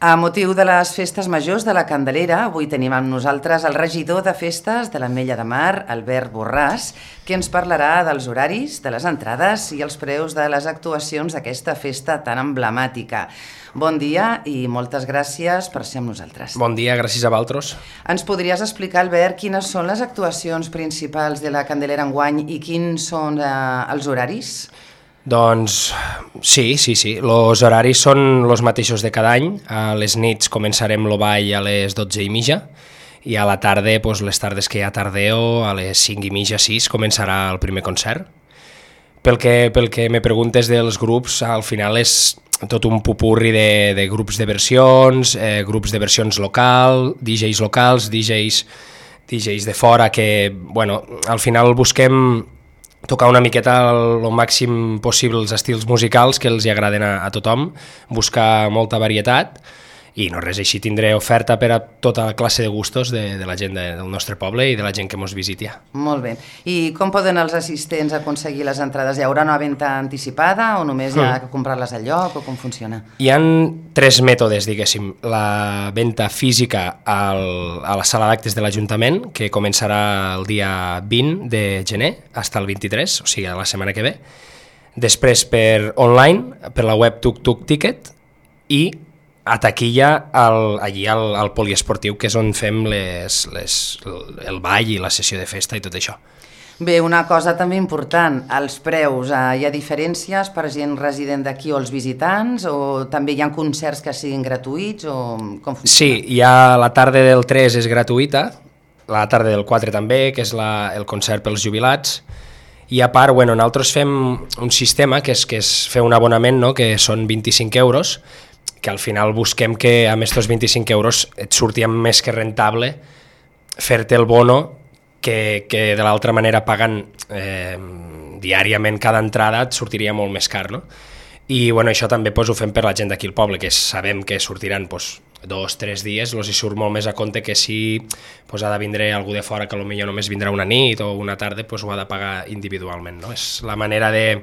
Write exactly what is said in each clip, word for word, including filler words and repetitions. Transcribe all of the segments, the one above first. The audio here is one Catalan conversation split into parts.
A motiu de les festes majors de la Candelera, avui tenim amb nosaltres el regidor de festes de l'Ametlla de Mar, Albert Borràs, que ens parlarà dels horaris, de les entrades i els preus de les actuacions d'aquesta festa tan emblemàtica. Bon dia i moltes gràcies per ser amb nosaltres. Bon dia, gràcies a vosaltres. Ens podries explicar, Albert, quines són les actuacions principals de la Candelera enguany i quins són eh, els horaris? Doncs sí, sí, sí. Els horaris són els mateixos de cada any. A les nits començarem el ball a les dotze i mitja i a la tarda, doncs, les tardes que hi ha tardeo, a les cinc i mitja, sis, començarà el primer concert. Pel que, pel que me preguntes dels grups, al final és tot un pupurri de, de grups de versions, eh, grups de versions local, D Js locals, D Js, D Js de fora, que, bueno, al final busquem tocar una miqueta el màxim possible els estils musicals que els hi agraden a, a tothom, buscar molta varietat i no res, així tindré oferta per a tota classe de gustos de, de la gent de, del nostre poble i de la gent que mos visitia. Molt bé. I com poden els assistents aconseguir les entrades? Hi haurà una venda anticipada o només hi ha que comprar-les al lloc o com funciona? Hi ha tres mètodes, diguéssim. La venda física al, a la sala d'actes de l'Ajuntament, que començarà el dia vint de gener fins al vint-i-tres, o sigui, la setmana que ve. Després per online, per la web Tuk Tuk Ticket, i a taquilla al, allí al, al poliesportiu, que és on fem les, les, el ball i la sessió de festa i tot això. Bé, una cosa també important, els preus. Eh, hi ha diferències per gent resident d'aquí o els visitants, o també hi ha concerts que siguin gratuïts, o com funciona? Sí, hi ha la tarda del tres és gratuïta, la tarda del quatre també, que és la, el concert pels jubilats, i a part, bueno, nosaltres fem un sistema que és, que és fer un abonament, no?, que són vint-i-cinc euros, que al final busquem que amb aquests vint-i-cinc euros et surti més que rentable fer-te el bono que, que de l'altra manera pagant eh, diàriament cada entrada et sortiria molt més car, no? I bueno, això també pues, ho fem per la gent d'aquí al poble, que sabem que sortiran pues, dos, tres dies, els hi surt molt més a compte que si pues, ha de vindre algú de fora que potser només vindrà una nit o una tarda, pues, ho ha de pagar individualment, no? És la manera de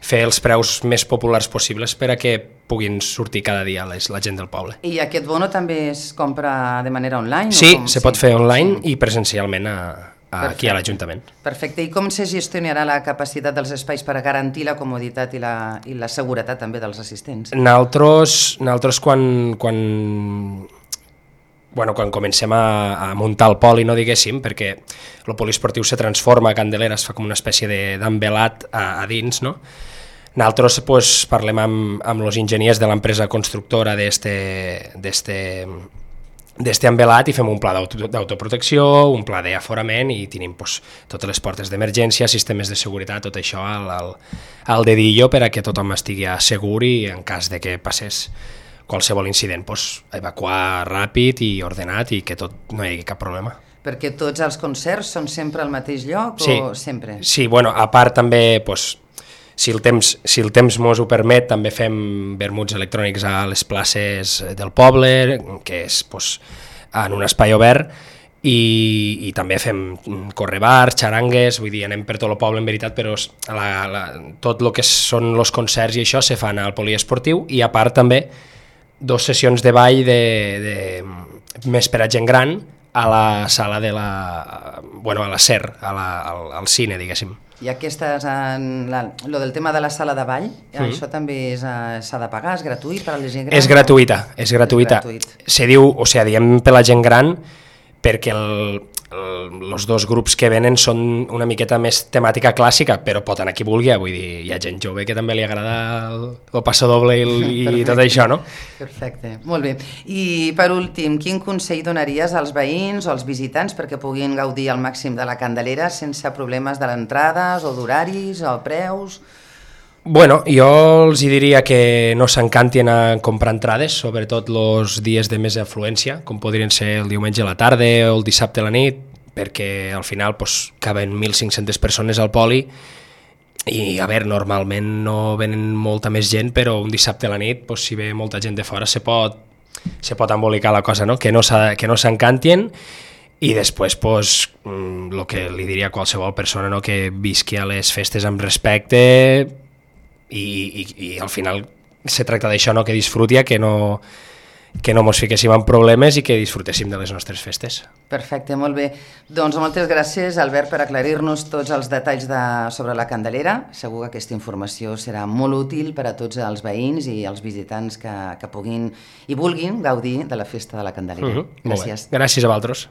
fer els preus més populars possibles per a que puguin sortir cada dia les, la gent del poble. I aquest bono també es compra de manera online? Sí, o com? se pot fer online sí. I presencialment a, a aquí a l'Ajuntament. Perfecte. I com se gestionarà la capacitat dels espais per a garantir la comoditat i la, i la seguretat també dels assistents? Nosaltres, nosaltres quan, quan, bueno, quan comencem a, a muntar el poli, no diguéssim, perquè el poliesportiu se transforma a Candelera, es fa com una espècie d'envelat a, a dins, no? Nosaltres pues, parlem amb, amb els enginyers de l'empresa constructora d'este envelat i fem un pla d'autoprotecció, un pla d'aforament i tenim pues, totes les portes d'emergència, sistemes de seguretat, tot això al, al, al dedillo per a que tothom estigui segur i en cas de que passés qualsevol incident, pues, evacuar ràpid i ordenat i que tot no hi hagi cap problema. Perquè tots els concerts són sempre al mateix lloc sí. o sempre? Sí, bueno, a part també, pues, si el temps, si el temps mos ho permet, també fem vermuts electrònics a les places del poble, que és pues, en un espai obert, i, i també fem correbars, xarangues, vull dir, anem per tot el poble en veritat, però la, la, tot el que són els concerts i això se fan al poliesportiu, i a part també dos sessions de ball de, de, més per a gent gran a la sala de la, bueno, a la SER, a la, al, al cine, diguéssim. I aquestes, en la, lo del tema de la sala de ball, mm. això també s'ha de pagar, és gratuït per a la gent gran? És gratuïta, és gratuïta. És gratuït. Se diu, o sigui, diem per la gent gran perquè el, els dos grups que venen són una miqueta més temàtica clàssica, però pot anar qui vulgui, vull dir, hi ha gent jove que també li agrada el, el passo doble i, el, i tot això, no? Perfecte, molt bé. I per últim, quin consell donaries als veïns o als visitants perquè puguin gaudir al màxim de la Candelera sense problemes de l'entrades o d'horaris o preus? Bueno, jo els diria que no s'encantin a comprar entrades, sobretot els dies de més afluència, com podrien ser el diumenge a la tarda o el dissabte a la nit, perquè al final pues, caben mil cinc-centes persones al poli i, a veure, normalment no venen molta més gent, però un dissabte a la nit, pues, si ve molta gent de fora, se pot, se pot embolicar la cosa, no? Que no s'encantin. I després, pues, el que li diria a qualsevol persona, no? Que visqui a les festes amb respecte, I, i, i al final se tracta d'això, no? Que disfruti, que no, que no mos fiquéssim en problemes i que disfrutéssim de les nostres festes. Perfecte, molt bé. Doncs moltes gràcies, Albert, per aclarir-nos tots els detalls de, sobre la Candelera. Segur que aquesta informació serà molt útil per a tots els veïns i els visitants que, que puguin i vulguin gaudir de la festa de la Candelera. Uh-huh. Gràcies. Gràcies a vosaltres.